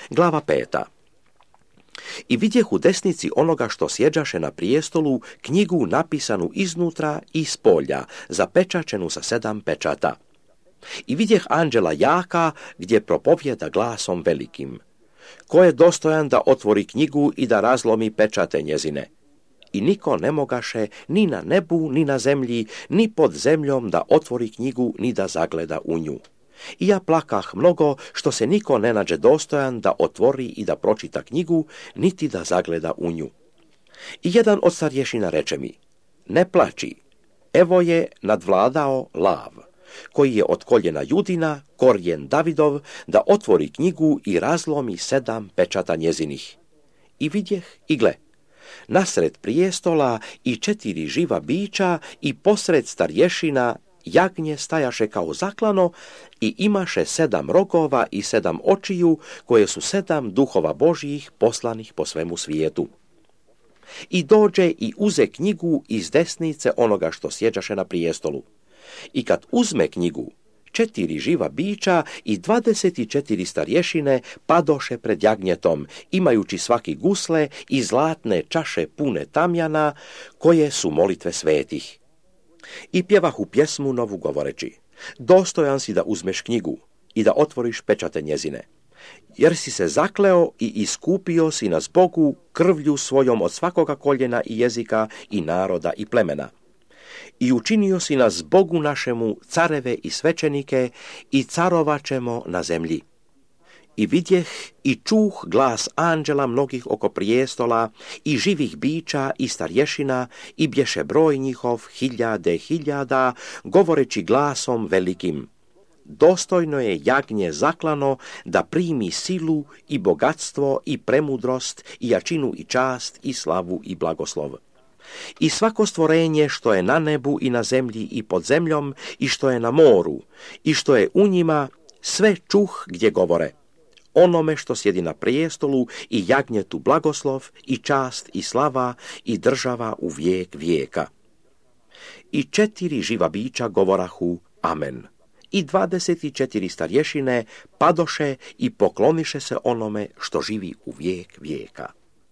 Glava 5. I vidjeh u desnici onoga što sjeđaše na prijestolu knjigu napisanu iznutra i spolja, zapečačenu sa 7 pečata. I vidjeh anđela jaka gdje propovjeda glasom velikim: ko je dostojan da otvori knjigu i da razlomi pečate njezine? I niko ne mogaše ni na nebu, ni na zemlji, ni pod zemljom da otvori knjigu, ni da zagleda u nju. I ja plakah mnogo što se niko ne nađe dostojan da otvori i da pročita knjigu, niti da zagleda u nju. I jedan od starješina reče mi: ne plači, evo je nadvladao lav, koji je od koljena Judina, korijen Davidov, da otvori knjigu i razlomi 7 pečata njezinih. I vidjeh i gle, nasred prijestola i 4 živa bića i posred starješina jagnje stajaše kao zaklano i imaše 7 rogova i 7 očiju, koje su 7 duhova Božjih poslanih po svemu svijetu. I dođe i uze knjigu iz desnice onoga što sjeđaše na prijestolu. I kad uzme knjigu, 4 živa bića i 24 starješine padoše pred jagnjetom, imajući svaki gusle i zlatne čaše pune tamjana, koje su molitve svetih. I pjevahu pjesmu novu govoreći: dostojan si da uzmeš knjigu i da otvoriš pečate njezine, jer si se zakleo i iskupio si nas Bogu krvlju svojom od svakoga koljena i jezika i naroda i plemena. I učinio si nas Bogu našemu careve i svećenike i carovaćemo na zemlji. I vidjeh i čuh glas anđela mnogih oko prijestola i živih bića i starješina i bješe broj njihov 1000 govoreći glasom velikim: dostojno je jagnje zaklano da primi silu i bogatstvo i premudrost i jačinu i čast i slavu i blagoslov. I svako stvorenje što je na nebu i na zemlji i pod zemljom i što je na moru i što je u njima, sve čuh gdje govore: onome što sjedi na prijestolu i jagnjetu blagoslov i čast i slava i država u vijek vijeka. I 4 živa bića govorahu amen. I 24 starješine padoše i pokloniše se onome što živi u vijek vijeka.